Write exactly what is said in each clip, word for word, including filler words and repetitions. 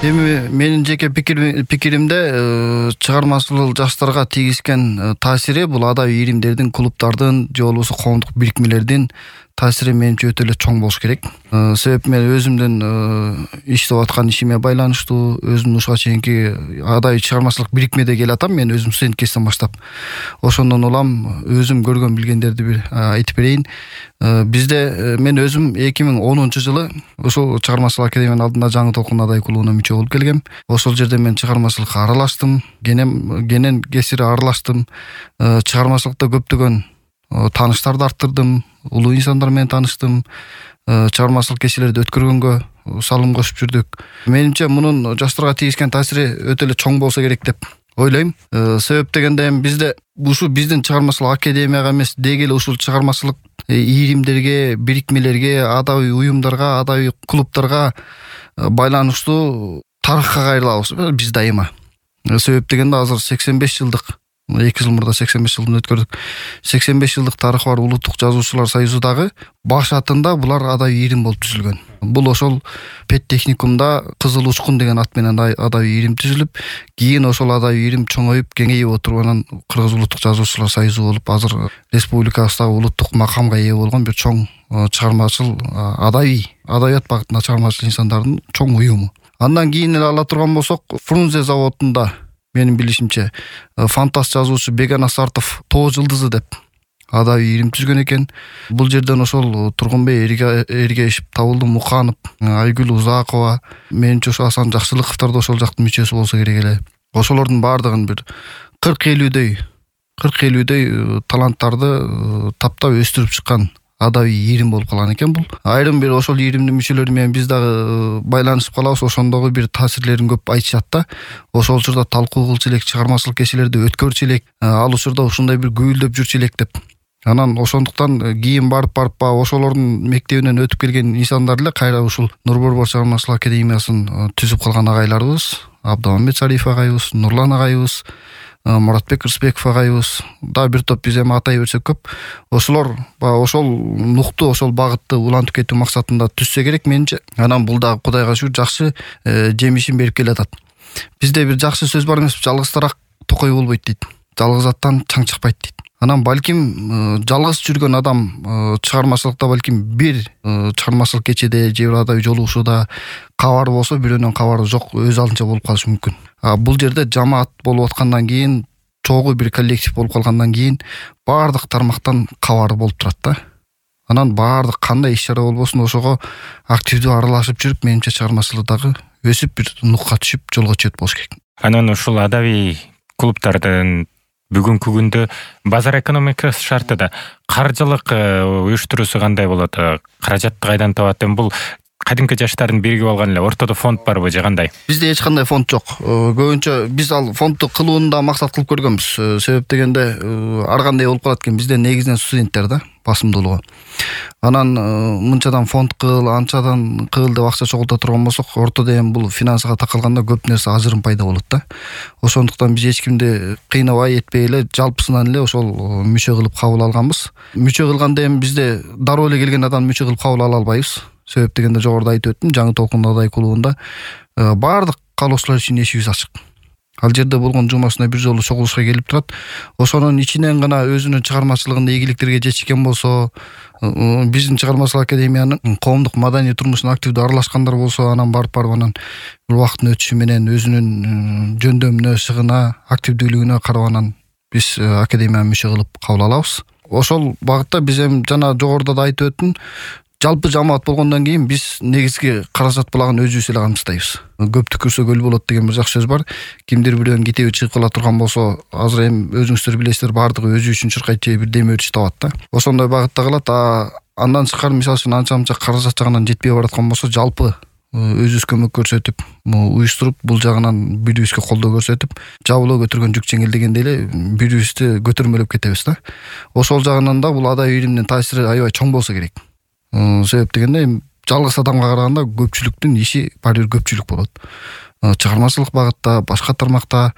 Эми менин жеке пикиримде чыгармачыл жаштарга тийгизген таасири бул адаби ийримдердин, клубдардын же болбосо коомдук бирикмелердин таасири менимче өтө эле чоң болуш керек. Себеп мен өзүмдүн иштеп аткан ишиме байланыштуу, өзүм ушуга чейинки адаби чыгармачылык бирикмеде келатам. Мен өзүм студент кезден баштап. Ошондон улам өзүм көргөн билгендерди бир айтып берейин. Бизде мен өзүм эки миң онунчу жылы ушул чыгармачылык академиянын алдында жаңы толкун адай клубуна мүчө болуп келгем. Ошол жерде мен чыгармачылыкка аралаштым, кенен кенен кесири аралаштым. Чыгармачылыкта көптөгөн тааныштарды арттырдым, улуу инсандар менен тааныштым. Чыгармачылык кечелерди өткөргөнгө салым кошуп жүрдүк. Менимче мунун жаштарга тийгизген таасири өтө эле чоң болсо керек деп ойлойм. Себеп дегенде эми бизде ушу биздин чыгармачылык академияга эмес, деги эле ушул чыгармачылык ийримдерге, бирикмелерге, адаби уюмдарга, адаби клубдарга байланыштуу тарыхка кайрылабыз биз дайыма. Себеп дегенде азыр сексен беш жылдык, эки жыл мурда сексен беш жылдын өткөрдүк. сексен беш жылдык тарыхы бар Улуттук жазуучулар союзу дагы баш атында булар адаби ийрим болуп түзүлгөн. Бул ошол педтехникумда Кызыл Учкун деген ат менен адаби ийрим түзүлүп, кийин ошол адаби ийрим чоңоюп, кеңейип отуруп анан Кыргыз Улуттук жазуучулар союзу болуп, азыр республикабыздагы улуттук макамга ээ болгон бир чоң чыгармачыл адаби адабият багытында чыгармачыл инсандардын чоң уюму. Андан кийин эле ала турган болсок, Фрунзе заводунда менин билишимче фантаст жазуучу Беган Асартов Тоо жылдызы деп адаби ийрим түзгөн экен. Бул жерден ошол Тургунбей Эргешев, Табылды Муканов, Айгүл Узакова, менимче ошо Асан Жакшылыковдор да ошол жактын мүчөсү болсо керек эле. Ошолордун баардыгын бир кырк элүүдөй кырк элүүдөй таланттарды таптап өстүрүп чыккан адаби ийрим болуп калган экен бул. Айрым бир ошол ийримдин мүчөлөрү менен биз дагы байланышып калабыз. Ошондогу бир таасирлерин көп айтышат да. Ошол учурда талкуу кылчу элек, чыгармачылык кечелерди өткөрчү элек, ал учурда ушундай бир гүйлдөп жүрчү элек деп. Анан ошондуктан кийин барып барып ба ошолордун мектебинен өтүп келген инсандар эле кайра ушул Нурборбор чыгармачылык академиясын түзүп калган агайларыбыз. Абдамамет Шариф агайыбыз, Нурлан агайыбыз, Муратбек Рысбеков агайыбыз, да бир топ биз эми атай берсек көп. Ошолор ошол нукту, ошол багытты улантып кетүү максатында түзсө керек менимче. Анан бул дагы Кудайга шүгүр жакшы жемишин берип келатат. Бизде бир жакшы сөз бар эмес, жалгыз тарак токой болбойт дейт. Жалгыз аттан чаң чыкпайт дейт. Анан балким жалгыз жүргөн адам чыгармачылыкта балким бир чыгармачылык кечеде же бир адаби жолугушууда кабары болсо, бирөөнүн кабары жок, өз алдынча болуп калышы мүмкүн. А бул жерде жамаат болуп аткандан кийин, чогуу бир коллектив болуп калгандан кийин баардык тармактан кабары болуп турат да. Анан баардык кандай иш-чара болбосун ошого активдүү аралашып жүрүп, менимче чыгармачылык дагы өсүп бир нукка түшүп, жолго чыгып болуш керек. Анан ушул адаби клубдардын бүгүнкү күндө базар экономикасы шартында каржылык уюштуруусу кандай болот? Каражатты кайдан табат? Бул кадимки жаштардын биригип алган эле ортодо фонд барбы же кандай? Бизде эч кандай фонд жок. Көбүнчө биз ал фондду кылууну да максат кылып көргөнбүз. Себеп дегенде ар кандай болуп калат экен. Бизде негизинен студенттер да, басымдуулугу. Анан мынчадан фонд кыл, анчадан кыл деп акча чогулта турган болсок, ортодо эми бул финансыга такалганда көп нерсе ажырым пайда болот да. Ошондуктан биз эч кимди кыйнабай этпей эле жалпысынан эле ошол мүчө кылып кабыл алганбыз. Мүчө кылганда эми бизде дароо эле келген адамды мүчө кылып кабыл ала албайбыз. Себеп дегенде жогоруда айтып өттүм, жаңы толкун адай клубунда баардык каалоочулар үчүн эшигибиз ачык. Ал жерде болгон жумасына бир жолу чогулушка келип турат. Ошонун ичинен гана өзүнүн чыгармачылыгында ийгиликтерге жетишкен болсо, биздин чыгармачылык академиянын коомдук маданий турмушуна активдүү аралашкандар болсо, анан барып барып анан бир убакыттын өтүшү менен өзүнүн жөндөмүнө, шыгына, активдүүлүгүнө карап анан биз академияга мүчө кылып кабыл алабыз. Ошол багытта биз эми жана жогоруда да айтып өттүм, жалпы жамаат болгондон кийин биз негизги каражат булагын өзүбүз эле камсыздайбыз. Көп түкүрсө көл болот деген бир жакшы сөз бар. Кимдир бирөөнүн китеби чыгып кала турган болсо, азыр эми өзүңүздөр билесиздер, баардыгы өзү үчүн чыркайт же бир деме өтүш табат да. Ошондой багытта калат. А андан сырткары мисалы үчүн анча-мынча каражат жагынан жетпей бараткан болсо, жалпы өзүбүз көмөк көрсөтүп, уюштуруп, бул жагынан бири-бирибизге колдоо көрсөтүп, жабылоо көтөргөн жүк жеңил дегендей эле бири-бирибизди көтөрмөлөп кетебиз да. Ошол жагынан да бул адаби ийримдин таасири аябай чоң болсо керек. Себеп дегенде жалгыз адамга караганда көпчүлүктүн иши баары бир көпчүлүк болот. Чыгармачылык багытта, башка тармакта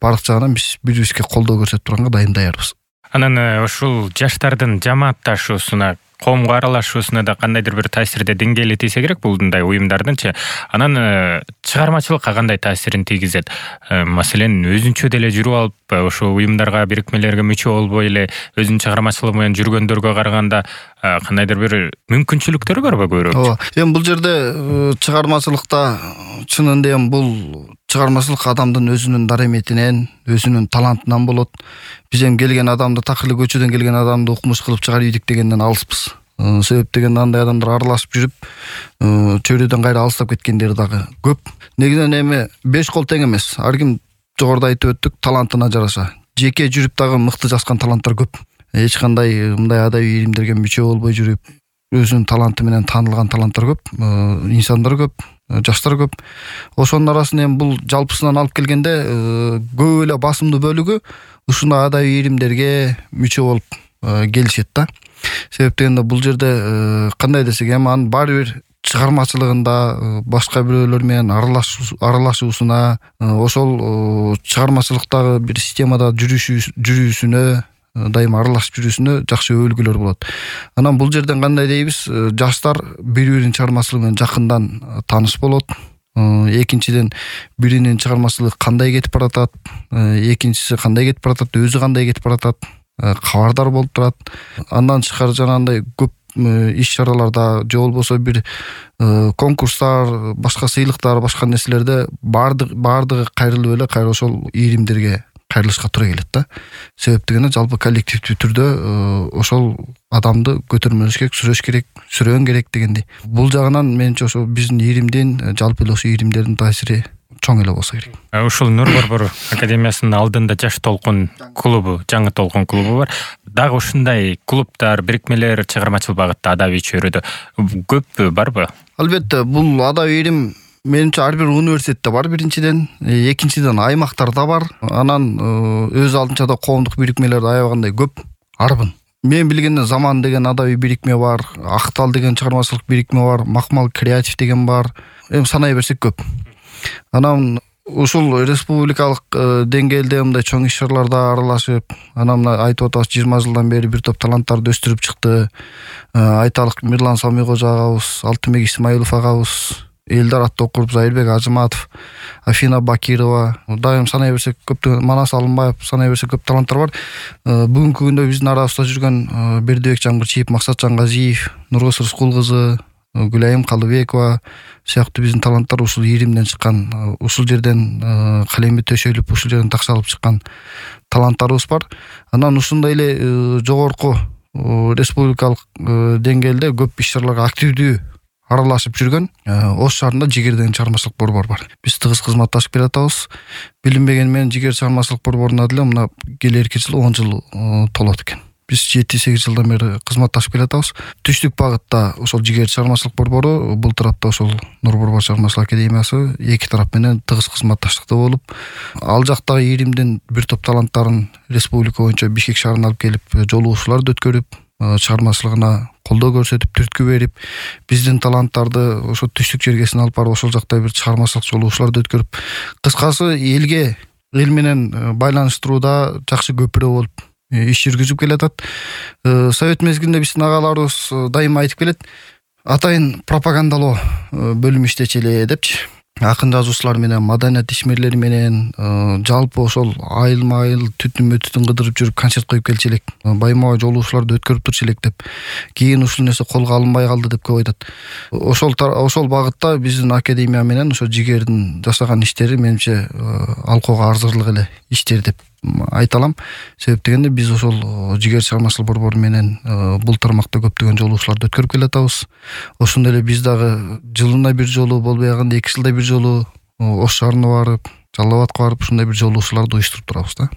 баардык жагынан биз бири-бирибизге колдоо көрсөтүп турганга дайым даярбыз. Анан ушул жаштардын жамаатташуусуна коомго аралашуусуна да кандайдыр бир таасирде деңгээли тийсе керек булундай уюмдардынчы. Анан чыгармачылыкка кандай таасирин тийгизет? Маселен, өзүнчө деле жүрүп алып, ошо уюмдарга, бирикмелерге мүчө болбой эле өзүнүн чыгармачылыгы менен жүргөндөргө караганда кандайдыр бир мүмкүнчүлүктөрү барбы көбүрөөк? Ооба. Эми бул жерде чыгармачылыкта чынында эми бул чыгармачылык адамдын өзүнүн дареметинен, өзүнүн талантынан болот. Биз эми келген адамды так эле көчөдөн келген адамды укмуш кылып чыгарып ийдик дегенден алыспыз. Себеп дегенде андай адамдар аралашып жүрүп, чөйрөдөн кайра алыстап кеткендер дагы көп. Негизинен эми беш кол тең эмес. Ар ким жогоруда айтып өттүк, талантына жараша. Жеке жүрүп дагы мыкты жазган таланттар көп. Эч кандай мындай адабий ийримдерге мүчө болбой жүрүп, өзүнүн таланты менен таанылган таланттар көп, инсандар көп, жаштар көп. Ошонун арасында эми бул жалпысынан алып келгенде көп эле басымдуу бөлүгү ушундай адабий ийримдерге мүчө болуп келишет да. Себеп дегенде бул жерде кандай десек, эми анын баары бир чыгармачылыгында башка бирөөлөр менен аралашуусуна, ошол чыгармачылыктагы бир системада жүрүүсүнө, дайыма аралашып жүрүүсүнө жакшы өбөлгөлөр болот. Анан бул жерден кандай дейбиз, жаштар бири-биринин чыгармачылыгы менен жакындан тааныш болот. Экинчиден, биринин чыгармачылыгы кандай кетип баратат, экинчиси кандай кетип баратат, өзү кандай кетип баратат, кабардар болуп турат. Андан тышкары жанагындай көп иш-чараларда же болбосо бир конкурстар, башка сыйлыктар, башка нерселерде баардыгы баардыгы кайрылып эле кайра ошол ийримдерге кайрылышка туура келет да. Себеп дегенде жалпы коллективдүү түрдө ошол адамды көтөрмөш керек, сүрөш керек, сүрөөн керек дегендей. Бул жагынан менимче ошо биздин ийримдин, жалпы эле ошо ийримдердин таасири чоң эле болсо керек. Ушул Нур Борбор академиясынын алдында Жаш толкун клубу, жаңы толкун клубу бар. Дагы ушундай клубтар, бирикмелер чыгармачыл багытта адабий чөйрөдө көп барбы? Албетте, бул адабий ийрим менимче ар бир университетте бар биринчиден, экинчиден аймактарда бар. Анан өз алдынча да коомдук бирикмелер аябагандай көп, арбын. Мен билгенден Заман деген адабий бирикме бар, Актал деген чыгармачылык бирикме бар, Макмал креатив деген бар. Эми санай берсек көп. Анан ушул республикалык деңгээлде мындай чоң иш-чараларда аралашып, анан мына айтып атабыз жыйырма жылдан бери бир топ таланттарды өстүрүп чыкты. Айталык Мирлан Самигожа агабыз, Алтынбек Исмаилов агабыз, Элдар Аттокуров, Зайырбек Ажыматов, Афина Бакирова, дайым санай берсек көптөгөн, Манас Алымбаев, санай берсек көп таланттар бар. Бүгүнкү күндө биздин арабызда жүргөн Бердибек Жамгырчиев, Максатжан Газиев, Нургүл Рыскул кызы, Гүлайым Калыбекова сыяктуу биздин таланттар ушул ийримден чыккан, ушул жерден калеми төшөлүп, ушул жерден такшалып чыккан таланттарыбыз бар. Анан ушундай эле жогорку республикалык деңгээлде көп иш-чараларга активдүү аралашып жүргөн Ош шаарында Жигер деген чыгармачылык борбор бар. Биз тыгыз кызматташып келатабыз. Билинбеген менен Жигер чыгармачылык борборуна деле мына келерки жыл он жыл толот экен. Биз жети сегиз жылдан бери кызматташып келатабыз. Түштүк багытта ошол Жигер чыгармачылык борбору, бул тарапта ошол Нур Борбор чыгармачылык академиясы эки тарап менен тыгыз кызматташтыкта болуп, ал жактагы ийримдин бир топ таланттарын республика боюнча Бишкек шаарына алып келип, жолугушууларды өткөрүп, чыгармачылыгына колдоо көрсөтүп, түрткү берип, биздин таланттарды ошо түштүк жергесине алып барып, ошол жакта бир чыгармачылык жолугушууларды өткөрүп, кыскасы элге, эл менен байланыштырууда жакшы көпүрө болуп иш жүргүзүп келатат. Совет мезгилинде биздин агаларыбыз дайыма айтып келет, атайын пропагандалоо бөлүм иштечи эле депчи. Акын жазуучулар менен, маданият ишмерлери менен жалпы ошол айылма-айыл түтүн-мөтүтүн кыдырып жүрүп концерт коюп келчи элек, байма-бай жолугушууларды өткөрүп турчу элек деп. Кийин ушул нерсе колго алынбай калды деп көп айтат. Ошол ошол багытта биздин академия менен ошо Жигердин жасаган иштери менимче алкоого арзырлык эле иштер деп айта алам. Себеп дегенде биз ошол Жигер чыгармачылык борбору менен бул тармакта көптөгөн жолугушууларды өткөрүп келатабыз. Ошондой эле биз дагы жылына бир жолу, болбой калганда эки жылда бир жолу Ош шаарына барып, Жалал абадка барып ушундай бир жолугушууларды уюштуруп турабыз да.